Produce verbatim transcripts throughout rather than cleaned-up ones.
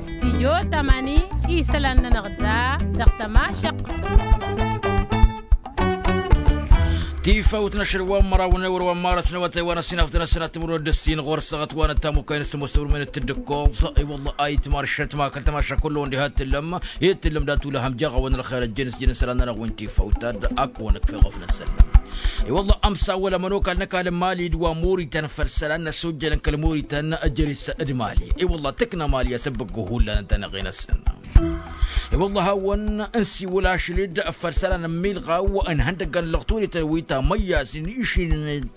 Stidyo tamani, isălan-nănăɣ da dăɣ-tămašăqq. Tifawt n-ašăl wa n-măraw n-ewăr wa n-marăs n-awătay wa n-ăssinaf d-năsănat timǝrwen d-ăssin ɣur-săɣăt wa n-ăttamukay n-ăssimos timǝrwen d-tǝddǝkkoẓ. I-wălla a itmar šătma kăl-tămaša kullu-wăn diha t-tǝllăm i-t-tǝllăm dat-ulăhăm jeɣ-awăn ălxer ăjjeen s-jǝn isălan-nănăɣ wi n-tifawt ad-ak-wăn ǝkfeɣ ăfnăsăn. I-wălla ămsawăl ămănokal n-ăkall n-mali d-wa n-muritan făll-isălan n-asujjălăn kăl-muritan jere-s d-mali. I-wălla tǝkna mali asăbbăggo hullan ǝnta n-eɣe-năsăn. I-wălla hawăn-nsiwǝl ašăl-dd făll-isălan n-milɣaw n-ihăndăggan n-lăɣturităn wi tamăyyasen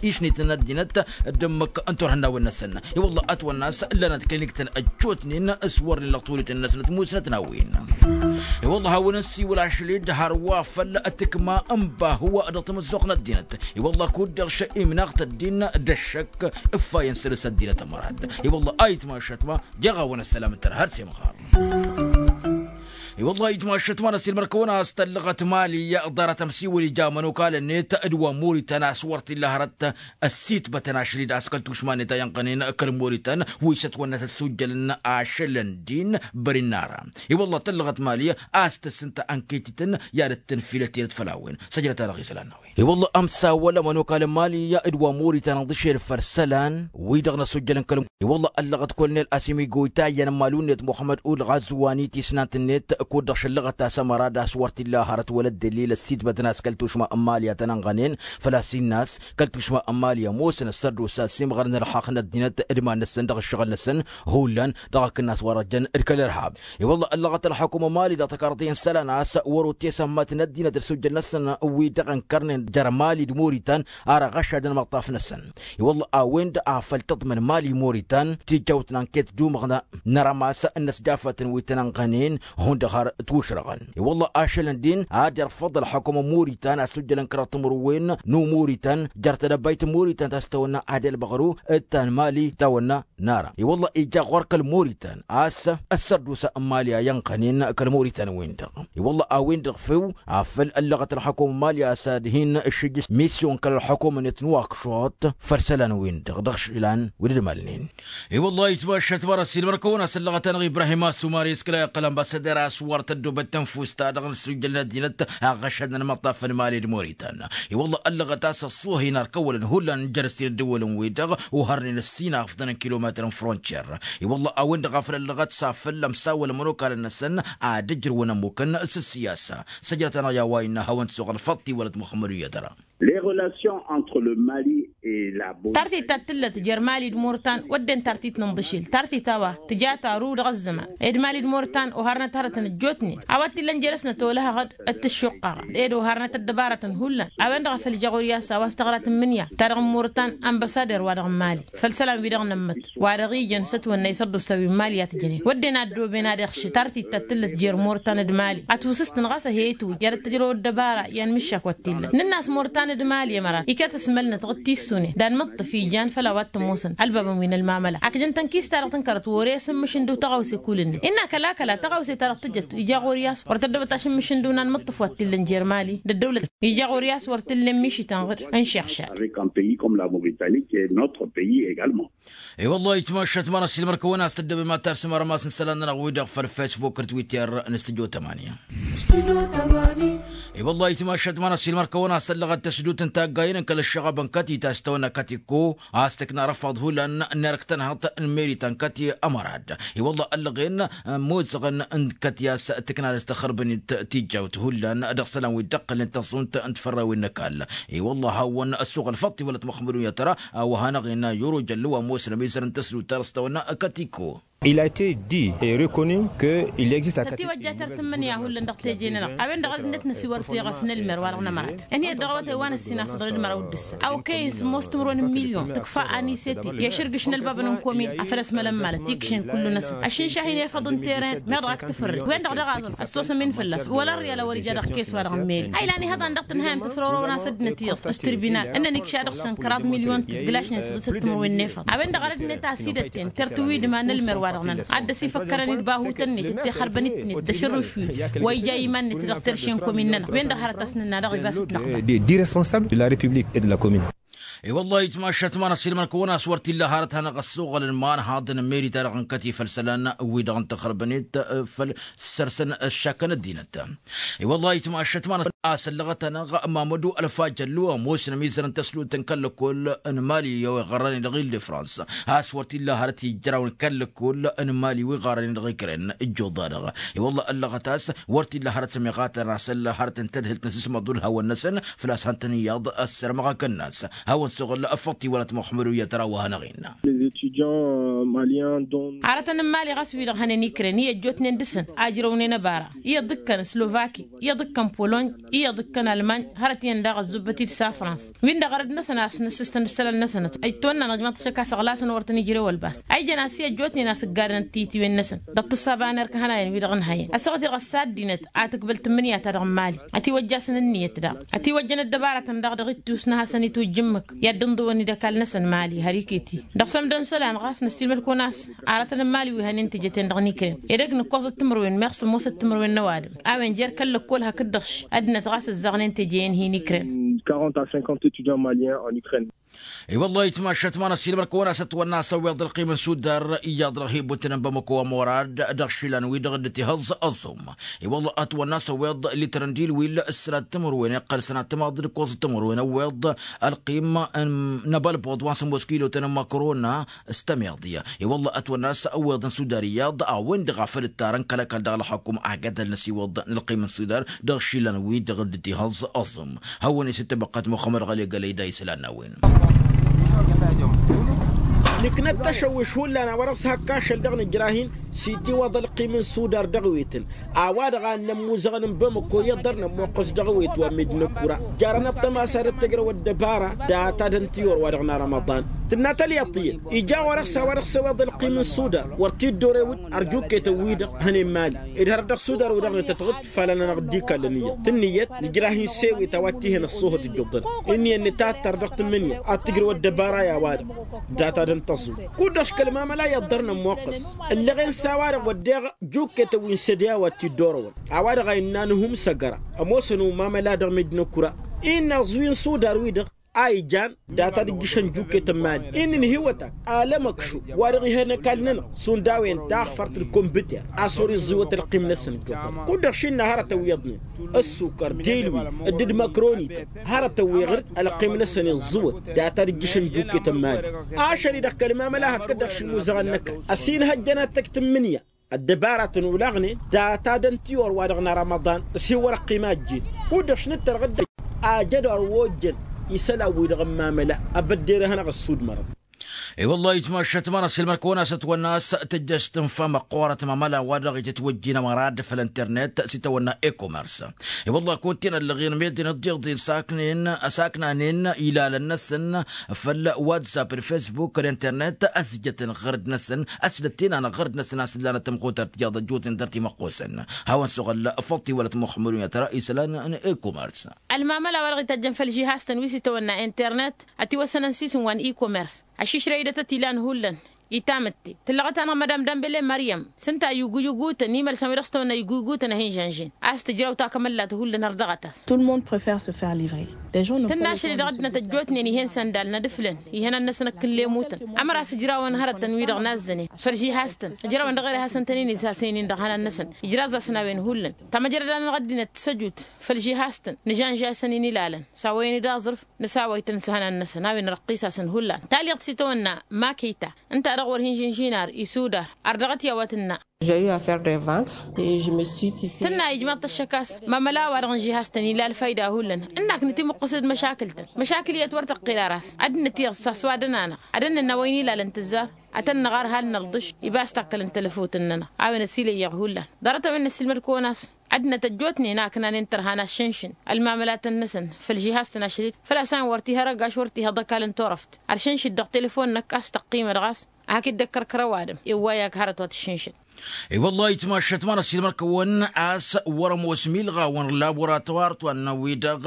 išnităn ăddinăt d-ǝmmǝk n-turhǝnnawen-năsăn. I-wălla ătwănna a-s ǝllanăt kăl-iniktăn ăjjootnen s-wărnen lăɣturităn-năsnăt musnăt n-a-wen. I-wălla hawăn-nsiwǝl ašăl-dd hărwa făll-tǝkma n-bahǝw dăɣ-tamăzzuɣt n-ăddinăt. I-wălla kud-dăɣ šăimnaɣ tăddin d-ăššăk ǝffayăn săr-s ăddinăt ămărad. I-wălla a itmašăt ma jeɣ-awăn ăssălam ǝntăr har s-imɣar. I-wălla a itmašăt ma n-ăsilmăr-kăwăn a-s tăllăɣăt mali ḍarăt ămsiwǝl ija ămănokal-net d-wa n-muritan a-s wăr t-illa hărăt ăssitbătăn ašăl-dd a-s kăl-tušma-net a iyyănɣănen kăl-muritan wi s-ătwănna s-ăssujjălăn ašălăn din bări n-ara. I-wălla tăllăɣăt mali a-s tăssǝntă ănketităn i-ad-dd-tǝnfilăt tidăt făll-a-wen săjdăt-anăɣ isălan n-a-wen. I-wălla ămsawăl ămănokal n-mali d-wa n-muritan ăḍǝšel făll-isălan wi-dăɣ n-ăssujjălăn kăl-muritan. I-wălla ăllăɣăt kull-net a-s imiggoyta iyyăn n-malun-net muxămmăd ulɣazwanit isnant-net kud-dăɣ šăllăɣăt a-s ămăra d-a-s wăr t-illa hărăt wăla dd-ăllil ăssitbătăn a-s kăl-tušma n-mali a tăn-ănɣănen. Făl-a-s innă a-s kăl-tušma n-mali ămoosăn ăssărdusa s-imɣăr n-ălxaqq n-ăddinăt d-iman-năsăn dăɣ-ǝššăɣǝl-năsăn hullan dăɣ-akǝnnas wa dăɣ-jăn d-kăl-irhab. I-wălla ăllăɣăt ălxukum n-mali dăɣ-tăkarḍe n-isălan a-s wăr-otesămmăt n-ăddinăt d-sujjăl-năsăn wi dăɣ-ǝnkărnen jer-mali d-muritan ar ăɣăšadăn imăṭṭaf-năsăn. I-wălla a-wen-dăɣ a făl tǝḍmăn mali muritan tijawt n-anket d-umăɣna n-arămas n-inăsjafatăn wi tăn-ănɣănen hundăɣ har ǝtwǝšrăɣăn. I-wălla ašălăn din ad-irfăḍ ălxukum n-muritan a-s ujjălăn kăraḍ timǝrwen n-umuritan jer-tedăbayt n-muritan ta s-tawănna ad-elbăɣru d-ta n-mali tawănna n-ara. I-wălla ija ɣur-kăl-muritan a-s ăssărdusa n-mali a iyyănɣănen kăl-muritan-win-dăɣ. I-wălla a-wen-dăɣ few afăl ăllăɣăt ălxukum n-mali a-s ad-hin-ǝššǝjjǝs misyon kăl-ălxukum-net n-wakšuḍ făll-isălan-win-dăɣ dăɣ-išlan wi dd-ămalnen. I-wălla a itmašat măra s-ilmăr-kăwăn-as ăllăɣăt-anăɣ ibrahim assumari s-kăla iqqălăn bassăder a-s wăr tăddobăt tănfust-ta-dăɣ n-ăssujjăl n-ăddinăt aɣăšadăn imăṭṭaf n-mali d-muritan. I-wălla ăllăɣăt a-s ăṣṣuhăyăn ar kăwălăn hullan jer-ăssin ăddăwălăn-wi-dăɣ ohărnen ăssin a ăfḍăn n-kilometăr n-frontier. I-wălla a-wen-dăɣ a făl ăllăɣăt s-afăl ămsawăl ămănokalăn-năsăn ad-ǝjrǝwăn ămmukăn s-ăssiyasa. Săjdăt-anăɣ i-a-wa innă hawăn-t-suɣ ălfăḍt tiwălăt muxămmăd u-iyyăt ăra. Les relations entre le mali et la bosnie. Tartit ta t-tǝllăt jer-mali d-murtan wădden tartit n-inḍǝšil tartit a-wa tǝja taru dăɣ-ăzzăman ed mali d-murtan oharnăt hărătăn ăjjootnen a-wa t-illăn jer-s nătolăhăɣ-dd ăttǝššuqqăɣ ed oharnăt ăddăbarătăn hullan. A-wen-dăɣ a făl ija ɣur-i a-s a-wa s-tăɣra tǝmmǝnǝya ta dăɣ-n murtan ănbăsader wa dăɣ-n mali făll-isălan-wi-dăɣ n-ămmăt wa dăɣ-ijăn s-ătwănna isărdusa wi n-mali i-ad-tǝjănen wădden a ăddooben ad-iɣšǝt artit ta t-tǝllăt jer-murtan d-mali ătwǝsǝstăn ɣas ăheyăt-wǝjj i-ad-ăttăjrăw ăddăbara i-anmǝššak wa t-illăn nǝnn'-as murtan d-mali ămărat iket asmălnăt ɣǝd tissunen d-anmǝṭṭǝf ijan făll-a-wa t-ămoosăn ălbabăn wi n-ălmamăla akjăn tănkist-ta-dăɣ tǝnkărăt wăr-e-s ǝmmǝšǝndu tăɣawse kulǝnnet. Innă kăla-kăla tăɣawse-ta-dăɣ tǝjăt ija ɣur-i a-s wăr tăddobăt ašǝmmǝšǝndu n-anmǝṭṭǝf wa t-illăn jer-mali d-ăddăwlăt ija ɣur-i a-s wăr t-illa ămmišǝtăn ɣǝd n-išixšad. Avec un pays comme la mauritanie qui est notre pays également. I-wăllah itmašat măra s-ilmăr-kăwăn a-s tăddobem ad-tarsǝm armas n-isălan-nănăɣ-wi-dăɣ făll-facebook d-twitter n-studio tamanya. I-wăllah itmašat măra s-ilmăr-kăwăn a-s tăllăɣăt tăsdut n-taggayen n-kăl-ăššăɣab n-kătit a-s tăwănna kătikko a-s tǝkna răfaḍ hullan n-erk tănhăḍt n-meri ta n-kăti ămărad. I-wăllah ăllăɣen mozăɣăn n-kăti a-s tǝkna dăɣ-s tăxărbănit tijjawt hullan dăɣ-isălan wi dd-ăqqălnen tăẓunt n-tfărrăwen n-ăkall. I-wăllah hawăn-ăssuɣăl făṭṭ iwălăt măxmădun i-ad-tăra a-wa hanăɣ-inna yurujăn lăwa ămoosăn ămizăr n-tăsdut ta dăɣ-s tăwănna kătikko. Il a été dit et reconnu que il existe a kătiwăjja tăr-tǝmmǝnǝya hullan dăɣ-teje-nănăɣ a-wen-dăɣ ăddinăt n-asiwăr teɣăf n-ălmer wa dăɣ-nămărat ǝnhǝyăt dăɣ-awătay wa n-ăssinafăḍăn d-măraw d-ǝssa a okăyăn s-ămoos timǝrwen n-milyon tǝkfa anisete i-ašǝrgǝš n-ălbabăn n-komin afăl ăsmălăn malăt ikšen kullu-năsăn ăššǝnšah-in efăḍ n-teren meɣ dăɣ-ak tǝfărre wen-dăɣ daɣ aẓǝn ăssosăm-in fălla-s wăla ărriyal a wăr-ija dăɣ-kes wa dăɣ-meri a ilan ihăḍan dăɣ-tǝnhayăm tăsrorăwăn a-s ăddinăt iyyăḍ s-tirbinal ǝnnăn ikša dăɣ-săn kăraḍ milyon tǝggǝlašnen s-dăɣ-s ǝttǝmǝrwen n-efăḍ a-wen-dăɣ a rădd-net a-s idătten tăr-tǝwidma n-ălmer wa dăɣ-nănăɣ ad-dd-ăsifăk kărăn-dd bahutăn-net d-tixărbăn-net d-ašărruš-wi wa ija iman-net dăɣ-terše n-komin-nănăɣ wen-dăɣ hărăt a-s nǝnna dăɣ-iba s-ǝtnăɣba. Des dix responsables de la république et de la commune. I-wăllah itmašat ma n-ăsilmăn kăwăn-as wăr t-illa hărăt hanăɣ-ăssoɣălăn ma n-haḍăn n-meri-ta-dăɣ n-kătifăl isălan wi-dăɣ n-tăxrăbănet. Făll-săr-săn ăššakăn ăddinăt. I-wăllah itmašat ma n-asăllăɣăt-anăɣ mamădu ălfajăllu ămoosăn ămizărăn tăslut n-kăl-lăkkol n-mali i-a-wa iɣărrăn-i dăɣ-il de frans. A-s wăr t-illa hărăt ijraw n-kăl-lăkkol n-mali wi iɣărrăn-i dăɣ-ikren. Ǝjjuḍ-a-dăɣ i-wăllah ăllăɣăt a-s wăr t-illa hărăt s-ămiɣatăn a-s ălla hărăt n-tedhǝlt n-asǝsmăḍ ulhawăn-năsăn. Făl-a-s hăn-tăn-iyyăḍ ăssărmăɣ akănnas hawăn-suɣǝl. Făṭṭ-i wăla t-muxămmăd wi ătra wa hanăɣ-innă. Arătăn n-mali ɣas wi-dăɣ hănen ikren i-ăjjootnen dăɣ-săn a ǝjrăwnen ăbara iyyăḍ d-ǝkkăn slovaki, iyyăḍ d-ǝkkăn polony, iyyăḍ d-ǝkkăn almany. Hărăt iyyăn daɣ ăzzubbăt-dd s-afrans-win-dăɣ arăd-năsăn a-s năssǝstăn d-isălan-năsăn. Ăjtoonna n-ăjmăḍ tăššăk a-s ăɣlasăn wăr tăn-ijrew ălbas a ijăn a-s i-ăjjootnen a-s ǝggadăn d-tiyǝtiwen-năsăn dăɣ-tǝssaba n-erk hănayăn wi-dăɣ ǝnhăyăn ăssaɣăt-i-dăɣ ăssa ăddinăt a tǝkbăl tǝmmǝnǝya-ta-dăɣ n-mali. Ătiwăjj'-asăn ǝnniyăt daɣ ătiwăjjăn ăddăbarătăn daɣ dăɣ-ittus n-ad-hasăn-itwǝjj ǝmmǝk i-ad-dd-ǝnḍǝwăn d-ăkall-năsăn mali har iket-i. Dăɣ-sămdăn isălan ɣas năssiilmăd-kăwăn a-s aratăn n-mali wi hănen teje-ten-dăɣ n-ikren edăgg nǝkkoẓăt timǝrwen meɣ sămoosăt timǝrwen n-ăwadǝm a-wen jer-kăl lăkkol hakd-dăɣ š-ăddinăt ɣas ǝzzaɣnen teje-en hin-ikren. Quarante à cinquante étudiants maliens en Ukraine. I-wăllah itmašat ma n-ăssiilmăd-kăwăn a-s ătwănna a-s ăwweḍ ălqim n-sudar iyyăḍ dăɣ-hi-ibbutǝnăn bamăko ămorad dăɣ-išilan-wi-dăɣ dd-tihăẓẓ ăẓẓum. I-wăllah ătwănna a-s ăwweḍ litărăn d-ilwil s-sănat timǝrwen iqqăl sănat timaḍ d-ǝkkoẓăt timǝrwen ăwweḍ ălqim n-abălbăḍ wa n-sămoos kilotăn n-măkrona s-tămiḍi. I-wăllah ătwănna a-s ăwweḍ n-sudar iyyăḍ a-wen-dăɣ a făl ǝttarăn kăl-ăkall dăɣ-ălxukum a gădăl n-ăsiwăḍ n-ălqim n-sudar dăɣ-išilan-wi-dăɣ dd-tihăẓẓ ăẓẓum. Hawăn-isǝttăbăqqăt muxămmăd ɣăli gălăy da isălan n-a-wen. Nǝknăt tăšăwwiš hullan a-wa-dăɣ s-hak ašăl dăɣ-nǝjrah-in s-itiwăḍ ălqim n-sudar dăɣ-wetăn a-wa-dăɣ a ănnămmuzăɣăn n-bamăko iyyăḍ dăr-nămmuqqǝs dăɣ-wet wa n-medina kura. Jarăn ăṭṭăma s-ad-ăttăjrăw ăddăbara data d-ăntǝyor wa dăɣ-năramăḍan tǝnna tălyaḍt iyyăn ija ɣur-e-s a-wa dăɣ-s ăweḍ ălqim n-sudar wăr t-dd-orewǝd. Ărjukket n-wi-dăɣ hănen mali ed hărăt dăɣ-sudar wi-dăɣ n-tătɣǝd fălăn-anăɣ dd-ikallăn iyyăḍ tǝnnǝyăt nǝjrah-in s-ewet a-wa t-ih'-en ăṣṣuhăt dd-oḍăn. Ǝnniyăn nǝtattăr dăɣ-tǝmmǝnǝya ad-t-ǝjrăw ăddăbara i-a-wa-dăɣ data d-ǝnta ăẓẓu. Kud-dăɣ š-kăl-mamăla iyyăḍ dăr-nămmuqqǝs ǝllăɣen s-a-wa-dăɣ wădden jukket n-wi n-sădya wa t-dd-orăwăn a-wa-dăɣ a innă anhum s-ăgăra. Ămoosăn umamăla dăɣ-medina kura innă aẓwi n-sudar-wi-dăɣ a ijan data d-ǝjjǝšăn jukket n-mali. Inn' inhǝywăt-ak alămăkšu wa dăɣ-ih'-en ăkall-nănăɣ šund a-wen taɣfărt d-kombǝter a-s wăr-iẓẓiwăt ălqim-năsăn. Dd-oḍăn kud-dăɣ šinna hărătăn wi iyyăḍnen ǝssukăr d-ilwi dd-măkronităn hărătăn wi ɣǝr-dd ălqim-năsăn iẓẓǝwăt. Data d-ǝjjǝšăn jukket n-mali ašăl-i-dăɣ kăl-mamăla hakd-dăɣ šimuzăɣăn n-ăkall ăsinhăjjăn ad-tăj tǝmmǝnǝya ăddăbaratăn olaɣnen data d-ăntiyor wa dăɣ-năramăḍan. S-hi-wăr-ăqqim a ăjjeen kud-dăɣ š-nǝttărɣ dd-ajădor wa ojjăn isălan-wi-dăɣ n-mamăla. Abădder-i hanăɣ-ăssudmărăn. I-wăllah itmašat ma n-ăsilmăr-kăwăn-as ătwănna a-s tǝjjăš tǝnfa măqqoorăt mamăla wa dăɣ-itǝtwăjjin ămărad făll-internet s-itawănna e-commerce. I-wăllah kunta-en ăllăɣen meddǝn ǝḍḍeḍen s-aknen s-aknanen ilalăn-năsăn făll-whatsapp d-facebook d-internet ăsjătăn ɣărd-năsăn ăsdăt-ten-anăɣ ɣărd-năsăn a-s ǝllanăt tămxutărt tiyyăḍ ăjjootnen dăr-timăqqosăn. Hawăn-suɣǝl făṭṭ iwălăt muxămmăd-un i-ad-tăra isălan n-e-commerce. Ălmamăla wa dăɣ-itajjăn făll-žihastăn wi s-itawănna internet ătiwăssănăn s-isǝm wa n-e-commerce. Ašišrăy-dăt ătilan hullan itamǝtte tǝllăɣăt-anăɣ madam dambele măryăm s-ǝnta a iguy ǝgutăn imălsăn wi dăɣ-s tăwănna iguy ǝgutăn ad-hin-žănžen a-s tǝjraw takămăllat hullan har dăɣ-ătas. Tǝnna ašăl-i dăɣ-ăddinăt ăjjootnen ih'-en săndalăn ad-ǝflăn ihănan-năsăn ăkkǝllemutăn. Ămăra a-s ǝjrawăn hărătăn-wi-dăɣ nazzănen făll-žihastăn ǝjrawăn dăɣ-ere hasăn-tăn-in-izhasăynen dăɣ-ihănan-năsăn ijraẓ-asăn a-wen hullan. Tamăjrăda-nănăɣ ăddinăt tǝssăjut făll-žihastăn nǝžănža-săn-in ilalăn s-a-wa-yen-dd aẓrǝf nǝsawăy-tăn s-ihănan-năsăn a-wen răqqis-asăn hullan. Talyaḍt s-itawănna makita ǝnta-dăɣ wăr hin-žǝnžin ar isudar ar dăɣ-t i-a-wa tǝnna. Tǝnna ijmaḍ-t ăššăk a-s mamăla a-wa-dăɣ n-žihastăn ila ălfayda hullan. Ǝnnak nǝtimǝqqǝs d-măšakǝl-tăn măšakǝl iyyăt wăr tăqqel ara a-s ad-dd-nǝtiyăẓ s-a-s wa dănan-anăɣ ad-ănnănna wa innă ilalăn tǝzzar ad-tăn-năɣar hal nălḍǝš. Iba a-s takkălăn tălăfut-nănăɣ a-wen ăsilăyyăɣ hullan. Ḍarăt a-wen năssiilmăd-kăwăn a-s ăddinăt ăjjootnen a ǝknanen tărha n-aššǝnšǝn ălmamălatăn-năsăn făll-žihastăn ašăl-dd făl-a-s a-wen wăr t-ih'-ărăg aš wăr t-ih'-ăḍăkal n-turăft. Ăršǝnšǝd dăɣ-telefon-năk a-s tăqqimăd ɣas ad-hak-dd-ăkkăr kăr-ăwadǝm. Iwway-ak hărăt wa tǝššǝnšǝd. I-wăllah itmašat ma n-ăssiilmăr-kăwăn a-s wăr-ămoos milɣawăn n-laboratwar-tăn-wi-dăɣ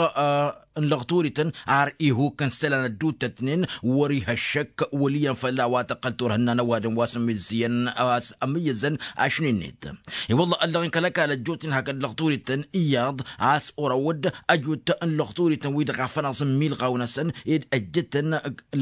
n-lăɣturităn ar ihuk n-isălan ădduuttătnen wăr-iha ăššăk wăl' iyyăn făll-a-wa tăqqăl turhǝnna n-ăwadǝm wa s-ămmizzǝyăn a-s ămmiyyăzăn ašnen-net. I-wăllah ăllăɣen kăl-ăkall ăjjootnen hakd lăɣturităn iyyăḍ a-s orăwăd ăjut n-lăɣturităn wi-dăɣ a fănaẓ n-milɣaw-năsăn ed ăjjătăn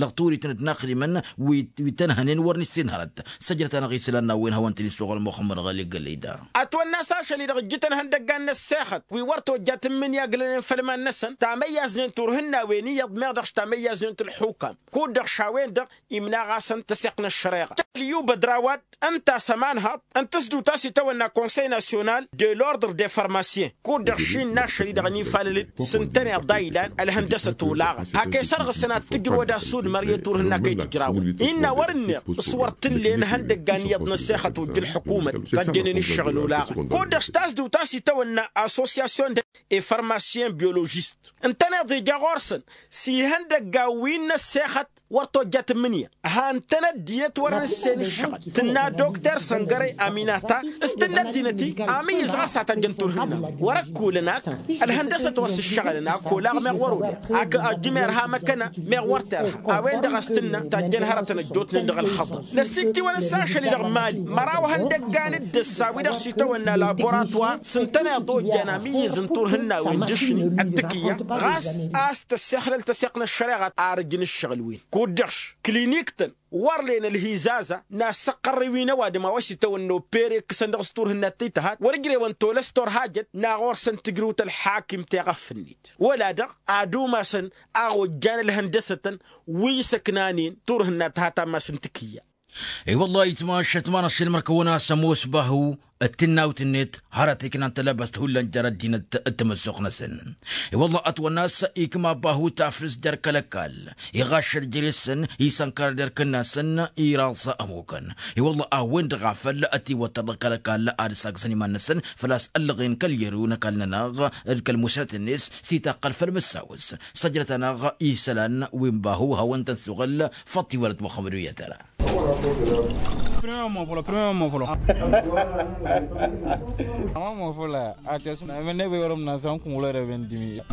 lăɣturităn d-inaxdimăn wi tănhănen wăr nǝssin hărăt. Săjdăt-anăɣ isălan n-a-wen hawăn-tăn-isuɣăl muxămmăd ɣăli gălăyda. Ătwănna-s ašăl-i-dăɣ ǝjjǝtăn ihăndăggan n-ăssexăt wi wăr tojjat n-imǝnyaglănen făll-iman-năsăn tamăyyaẓnen turhǝnnawen iyyăḍ meɣ dăɣ-s tamăyyaẓnen t-ălxukam kud-dăɣ šawen-dăɣ imnaɣ-asăn tăseɣt n-ăššăreɣa. Tăkk-ălyu bădrawad ǝnta a-s ămanhăḍ n-tǝzdut a-s itawănna konsăy nasyonal de l-ordre de farmasyen kud-dăɣ šinna ašăl-i-dăɣ ănifalăl-dd s-ǝntăneḍ a ilan ălhăndăsăt olaɣăn hak e-sărɣǝsăn ad-tǝjrǝwăd asudmăr i-turhǝnna kăy-tǝjrawăn innă wăr-ǝnneḍ s-wăr t-ǝllen ihăndăggan iyyăḍ n-ăssexăt ojj ǝlḥǝkumăt. Tăjjănen ǝššăɣǝl olaɣăn kud-dăɣ s-tasdǝwt a-s itawănna association de e farmasyen biologist ǝntăneḍ ija ɣur-săn s-ihăndăggan wi n-ăssexăt wăr tojjat n-imǝnǝya. Han-tăn ăddinăt wăr-nǝssen ǝššăɣǝl tǝnna dokter săngărăy aminata s-tǝnna ăddinăt-i amǝyyǝz ɣas ad-tajjăn turhǝnna wăr-ăkkulăn ak ălhăndăsăt wa s-ǝššăɣǝlăn ak olaɣ meɣ wăr-olăɣ ak ăjjǝmer ha măkkăna meɣ wăr terha. A-wen-dăɣ a-s tǝnna tajjăn hărătăn ăjjootnen dăɣ-ălxăḍăr năsiktǝwăn s-ašăl-i-dăɣ mali măraw ihăndăggan d-ǝssa wi-dăɣ s-itawănna laboratuwar s-ǝntăneḍ ojjan amǝyyǝz n-turhǝnnawen d-ašni ăttǝkǝyya ɣas a-s tăssexlăl tăseɣt n-ăššăreɣa. Arǝjǝn ǝššăɣǝl-wen kud-dăɣ š-kilinik-tăn wăr len ălhizaza n-assăqqărrǝy wi n-ăwadǝm a-wa s-itawănna opere ǝkkǝsăn dăɣ-s turhǝnna t-tăhat wăr ǝjrewăn tolăs torhajăt n-a ɣur-săn tǝjrǝwt ălḥakim teɣăf-net wăla-dăɣ ad-umasăn a ojjan ălhăndăsătăn wi s-ăknanen turhǝnna tăhat ammas n-tǝkǝyya. I-wălla-hi tmašăt ma n-ašăl măr-kăwăn-as ămoos bahu d-tǝnnawt-net hărăt iknan tălăbăst hullan jer-ăddinăt d-tamăssoɣt-năsăn. I-wălla ătwănna a-s ikma bahu taflǝst jer-kăl-ăkall iɣaššăl jer-esăn isănkărăd erk-ǝnnasăn iraẓ ămukăn. I-wălla a-wen-dăɣ a făl ătiwăttăr dăɣ-kăl-ăkall ad-ăsagzăn iman-năsăn făl-a-s ăllăɣen kăl-iru n-ăkall-nănăɣ d-kăl-musnăt-net s-itaqqăl făll-mǝssawăs. Săjdăt-anăɣ isălan wi n-bahu hawăn-tăn-suɣǝl făṭṭ iwălăt muxămmăd wi ătăra. Primăm acolo, primăm acolo. Am acolo. Acest nu e bine, orăm n-asăm cum ulăre vendimi.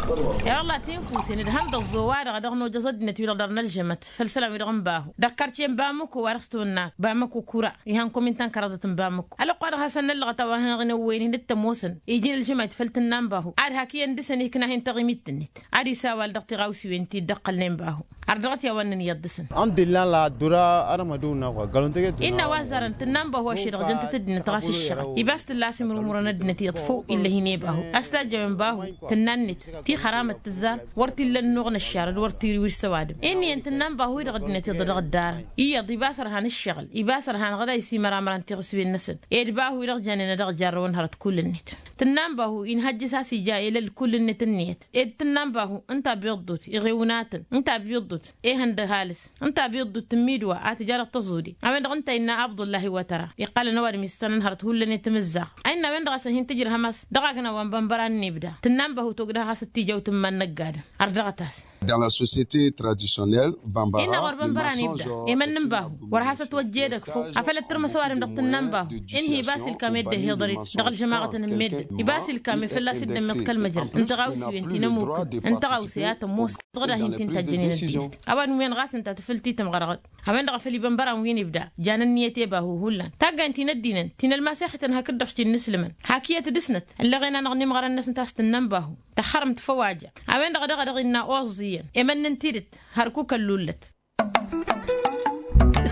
E-wălla tinfusen d-hăm dăɣ-zowa dăɣ-dăɣ nojăẓ ăddinăt wi-dăɣ dăr-nălžămăt făll-isălan wi-dăɣ n-bahu dăɣ-karce n-bamăko wa dăɣ-s tonnat bamăko kura. Ihăn komintan kăraḍăt n-bamăko ălwăqq wa dăɣ-hasăn-năllăɣăt a-wa hanăɣ-inăwwăynen d-tămoosăn iji n-ălžămăt făll-tǝnna n-bahu ad-hak iyyăn dăɣ-săn ikna hin-taɣimit-net ad-isawal dăɣ-tiɣawsiwen ti dd-ăqqălnen bahu. Ărdăɣăt i-a-wa ǝnnăn iyyăḍ dăɣ-săn. Ălḥamdulillah la ăddura armădu n-a-wa gălun-tăget. Innă a-wa ăzzarăn tǝnna n-bahu ašăl-i-dăɣ jăn-tăt ăddinăt ɣas ǝššăɣǝl ibas tǝlla a-s imrǝmrăn ăddinăt iyyăḍ făw ill'-e-hin i-bahu a-s tajjăwen bahu tǝnna-net ti xăramăt tǝzzar wăr t-illa ănnuɣ n-ăššarăd wăr t-iri wi s-ăwadǝm. Inn'-iyyăn tǝnna n-bahu-i-dăɣ ăddinăt iyyăḍ dăɣ-dd-arăn iyyăḍ ibas ărhan ǝššăɣǝl ibas ărhan ɣăr a isimăramărăn tiɣǝswen-năsăn ed bahu-i-dăɣ jannen ad-dăɣ-jarrăwăn hărăt kull-net. Tǝnna n-bahu inhăjjǝs a-s ija elăl kull-net ǝnniyăt ed tǝnna n-bahu ǝnta abiḍḍut iɣewnatăn ǝnta abiḍḍut ehăn d-ăhalǝs ǝnta abiḍḍut tǝmmidwa a tǝja dăɣ-tăẓude. A-wen-dăɣ ǝnta innă abdullahi wa tăra iqqalăn ăwadǝm issănăn hărăt hullan i-timǝzzaɣt a innă a-wen-dăɣ a-s ăhinta ǝjrăhăm a-s dăɣ-agna wa n-bănbăra n-inibda. Tǝnna n-bahu togdăh ɣas d-tijăwt n-iman n-ăgg-adǝm. Ărdăɣăt-as. Dans la société traditionnelle bambara innă ɣur-bănbăra n-ibda emănn n-bahu wăr has-ătwăjja edăgg făw. Afăl ăttărmăs ăwadǝm dăɣ-tǝnna n-bahu inhi ibas ilkam i-dd-ăhiḍărit dăɣ-ălžămaɣătăn n-meddǝn ibas ilkam i-fălla-s dd-ămmiḍ kăl-măjrăd n-tiɣawsiwen ti n-ămukǝn n-tiɣawse a tămoos dăɣ-dahin ti n-tajjănen ăddinăt. Ăwadǝm-wen ɣas ǝnta tǝfǝl ti tămɣărɣăd. A-wen-dăɣ a făl ibănbăran wi n-ibda janen ǝnniyăt i-bahu hullan taggayn ti n-ăddinăn ti n-ălmasexităn hakd-dăɣ ti n-inǝslǝmăn hak iyyăt dăɣ-snăt ăllăɣen-anăɣ n-imɣărăn-năsnăt a-s tǝnna n-bahu. Tăxxărǝmt făw a ja a-wen-dăɣ a dăɣ-a dăɣ-innă oẓẓiyyăn emănn n-tidǝt hărkuk ăllullăt.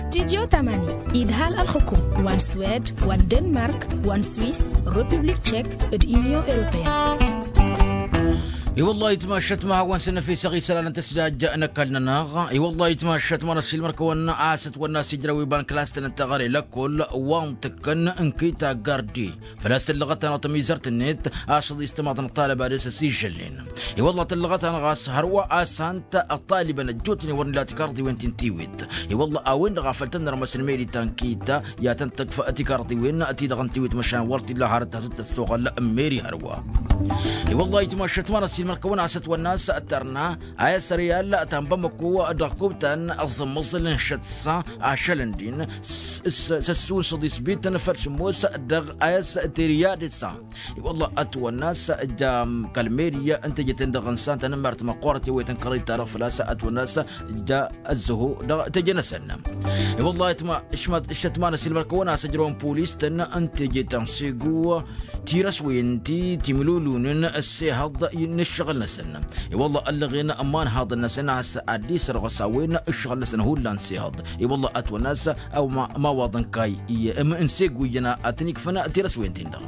Studyo tamani idhal ălxǝkum wa n-swed wa n-denmark wa n-swiss republik tchek d-inyon europeyăn. I-wăllah itmašăt ma hawăn-săn năfisăɣ isălan n-tăsdajja n-ăkall-nănăɣ. I-wăllah itmašăt ma n-ăsilmăr-kăwăn a-s ătwănna a-s ijrăw iba n-klas-tăn n-teɣăre lăkkol wa n-tǝkkăn n-kita gardi. Făl-a-s tǝllăɣăt-anăɣ tămizărt-net ašăḍ istămaḍ n-ăṭṭalăba dăr-s ăsižălnen. I-wălla tǝllăɣăt-anăɣ a-s hărwa a-s ant ăṭṭalibăn ăjjootnen wăr nǝla tikarḍiwen ti n-tiwit. I-wălla a-wen-dăɣ a făl tăn-nărmăs n-meri ta n-kita i-ad-tăn-tǝkf tikarḍiwen-ti-dăɣ n-tiwit măšan wăr t-illa hărăt ta s-tăssoɣăl n-meri hărwa. I-wălla itmašăt ma n-ăs Mărkăwăn a-s ătwănna a-s tărna a-s ăryal ta n-bamăko dăɣ-kubtan ăẓẓămmăẓǝl n-šăt s-ašălăn din s-s-săssun săḍisbităn făll-sǝmmos dăɣ-a-s tiriyadǝsa. I-wălla ătwănna a-s ja kăl-meriya n-teje-ten-dăɣ ǝnsan tanămmart măqqoorăt i-wăytăn kăraḍ ittarăɣ făl-a-s ătwănna a-s ja ăzzăho dăɣ-teje-năsăn. I-wălla itma ǝššătmanăs ilmărkăwăn a-s ǝjrăwăn polis-tăn n-teje ta n-segu tirăswen ti timǝlulunǝn ăssehăḍ n-ǝššăɣǝl-năsăn. I-wălla ăllăɣen ămmanhaḍăn-năsăn a-s ad-dd-isărɣăs a-wen ǝššăɣǝl-năsăn hullan s-ehăḍ. I-wălla ătwănna a-s a-wa ma-wa d-ǝnka i-ǝmǝn segu iyyăn ad-tăn-ikfăn tirăswen-tin-dăɣ.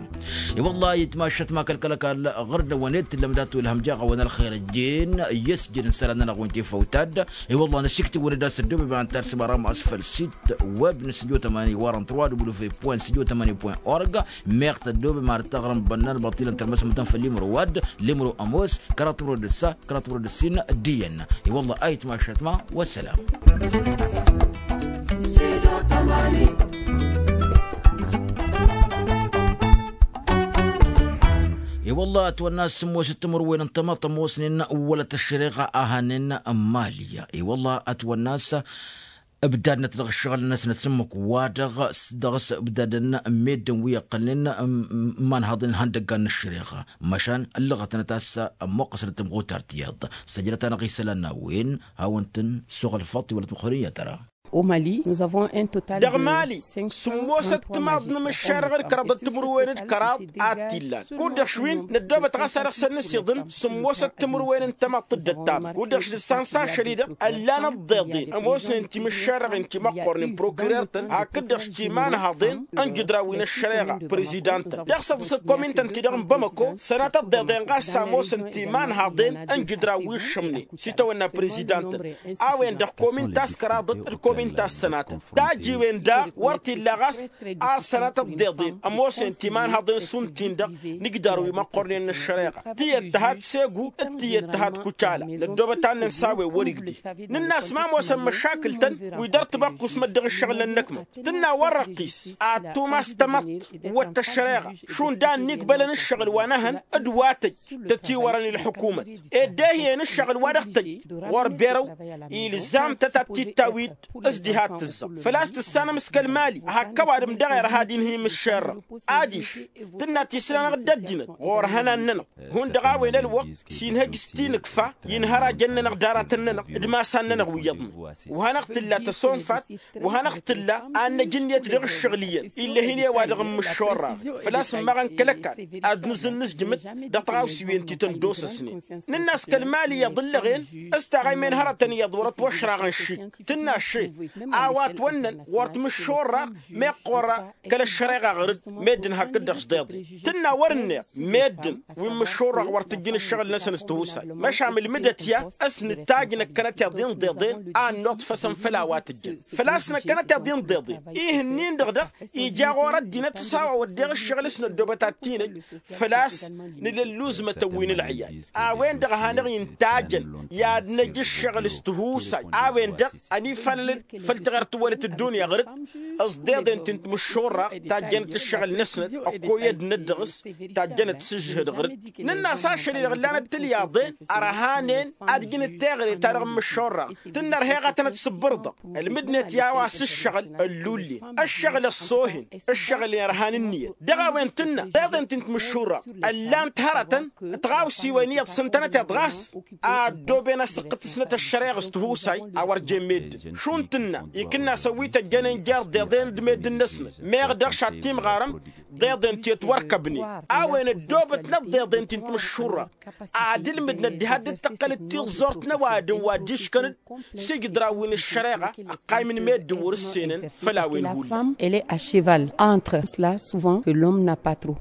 I-wălla itma ǝššătma kăl-kăl-ăkall ɣur-dăɣ-wăn ed tǝllăm dat-wălhăm jaɣ-awăn ălxer ăjjeen i-ăsjăd n-isălan-nănăɣ wi n-tifăwtad. I-wălla n-ăšiktiwăn d-asăddobeb ad-tărsǝm ara ma s-făll-sit web n-studio tămani waran trois w point studio tămani point org. Meɣ tăddobem ar taɣrǝm bănnan băṭṭilăn tărmăsmătăn făll-imro wa dd-limro ămoos kăraḍ timro d-ǝssa kăraḍ timro d-ǝssin. D-iyyăn i-wălla a itma ăššătma. Wăssălam. I-wălla ătwănna a-s sǝmmosăt timǝrwen n-tamăḍt ămoosnen wălăt ăššăreɣa a hanen n-mali. I-wălla ătwănna a-s ǝbdadnăt dăɣ-ǝššăɣǝl-năsnăt s-ǝmmǝk wa-dăɣ s-dăɣ-s ǝbdadăn n-meddǝn wi ăqqălnen n-imanhaḍen n-ihăndăggan n-ăššăreɣa. Măšan ǝllăɣătnăt a-s ămmuqqăsnăt timɣutar tiyyăḍ. Săjdăt-anăɣ isălan n-a-wen hawăn-tăn-suɣǝlfăḍ tiwălăt măxorin i-ad-tăra. Au mali nous avons un total. Dăɣ-mali sǝmmosăt timaḍ n-imǝššarăɣ d-kăraḍăt timǝrwen d-kăraḍ a t-illan. Kud-dăɣ š-win năddoobăt ɣas ad-dăɣ-săn n-asiḍǝn sǝmmosăt timǝrwen n-tamăḍt d-ăttamăr kud-dăɣ š-dăɣ-san s-ašăl-i-dăɣ ăllan ăḍḍeḍen ămoosnen timǝššarăɣen timăqqornen prokirer-tăn hakd-dăɣ š-timanhaḍen n-jǝdran wi n-ăššăreɣa. Prezidant-tăn dăɣ-săḍǝsăt komin-tăn-ti-dăɣ n-bamăko sănatăt ḍeḍen ɣas a ămoosăn timanhaḍen n-jǝdran wi ǝššǝmnen s-itawănna prezidant-tăn. A-wen-dăɣ komin ta s-kăraḍăt d-komin ta s-sănatăt tajiwen daɣ wăr t-illa ɣas ar sănatăt ḍeḍen ămoosnen timanhaḍen šund-tin-dăɣ n-ijdarăn wi măqqornen n-ăššăreɣa. Tiyyăt tǝhat segu d-tiyyăt tǝhat kucala. Năddoobăt ad-nǝns a-wen wăr-igdǝy nǝnn'-as ma ămoosăn măšakǝl-tăn wi dăr-tibăqqus măddăɣ ǝššăɣǝl n-ănnăkmăt tǝnna wăr-răqqis ad-tumas tamăḍt wăt ăššăreɣa šund a ănnigbălăn ǝššăɣǝl wa n-ehăn d-wa tăj tătiwărăn i-ălḥukumăt. Ed dehǝyăn ǝššăɣǝl wa dăɣ-tăj ɣur-berăw ilzam-tăt ad-t-ittawǝy-dd s-diha t-tǝzzăɣ făl-a-s tǝssanăm s-kăl-mali. Hak ăwadǝm daɣ irha ad-inhǝy imǝššerrăɣ adiš tǝnna tisla-năɣ dd-ăddinăt ɣur-ihănan-nănăɣ. Hundăɣ a-wen ălwăqq s-inhăj s-tinǝkfa i-inhărajăn-nănăɣ d-aratăn-nănăɣ d-imasan-nănăɣ wi iyyăḍnen. Wa hanăɣ-tǝlla tăsonfat wa hanăɣ-tǝlla ad-năj ǝnniyăt dăɣ-ǝššăɣǝl iyyăn ill'-e-hin i-wa-dăɣ n-imǝššorraɣ. Făl-a-s ǝmmaɣăn kăl-ăkall ad-nǝzǝnnǝzjǝmǝd dăɣ-tiɣawsiwen ti tăn-dd-osăsnen. Nǝnn'-as kăl-mali iyyăḍ ǝllăɣen s-taɣaymen hărătăn iyyăḍ wăr-ătwăšraɣăn šik tǝnna še a-wa ătwănnăn ɣur-timǝššorraɣ meɣ ɣur-ra kăl-ăššăreɣa ɣǝr-dd meddǝn hakd-dăɣ s-deḍen. Tǝnna wăr-ǝnneɣ meddǝn wi n-imǝššorraɣ wăr tǝjjǝn ǝššăɣǝl-năsăn s-tihusay măšan mǝlmǝdăt i-ad-săn ǝtajjǝn ăkkănăteḍ-in ḍeḍen a ănnuḍfăsăn făll-a-wa tǝjjăn. Făl-a-s n-ăkkănăteḍ-in ḍeḍen ihǝnnin-dăɣ daɣ ija ɣur-ăddinăt s-a-wa wădden ǝššăɣǝl s-năddoobăt ad-t-inăj. Făl-a-s nǝla ǝlluzmătăn wi n-ǝlɣǝyal a-wen-dăɣ a hanăɣ-intajăn i-ad-năj ǝššăɣǝl s-tihusay a-wen-dăɣ ănifalălăn făll-tiɣert tǝwwălăt ăddunya ɣur-dd. S-deḍen ti n-timǝššurraɣ tajjănăt ǝššăɣǝl-năsnăt ăkkoyădnăt dăɣ-s tajjănăt s-ǝžžǝhǝd ɣur-dd. Nǝnn'-as ašăl-i-dăɣ ǝllanăt tilyaḍen ărhanen ad-ǝjǝnăt teɣăre-ta-dăɣ n-imǝššurraɣ tǝnnărheɣ ad-tănăt-sǝbbǝr dăɣ-ălmǝdnet i-a-wa s-ǝššăɣǝl ăllullen ǝššăɣǝl ăṣṣoohen ǝššăɣǝl i-ărhan ǝnniyăt. Dăɣ-a-wen tǝnna deḍen ti n-timǝššurraɣ ăllan-t hărătăn d-tiɣawsiwen iyyăḍ s-ǝntănăteḍ ɣas a ăddooben asǝqqǝt-snăt ăššăreɣ s-tihusay a wăr jen meddǝn šund tǝnna ikǝnnas ăwwităjjănen jer-deḍen d-meddǝn-năsnăt meɣ dăɣ-š ad-timɣarăm deḍen ti ătwărkăbnen. A-wen ăddoobătnăt deḍen ti n-timǝššurraɣ ad-ǝlmǝdnăt diha dd-tăqqălăt tiẓẓort n-ăwadǝm wa dd-iškăn-dd s-ijǝdran wi n-ăššăreɣa ăqqaym n-meddǝn wăr-ǝssenăn. Făll-a-wen hullan. Elle est à cheval entre cela souvent que l'homme n'a pas trop.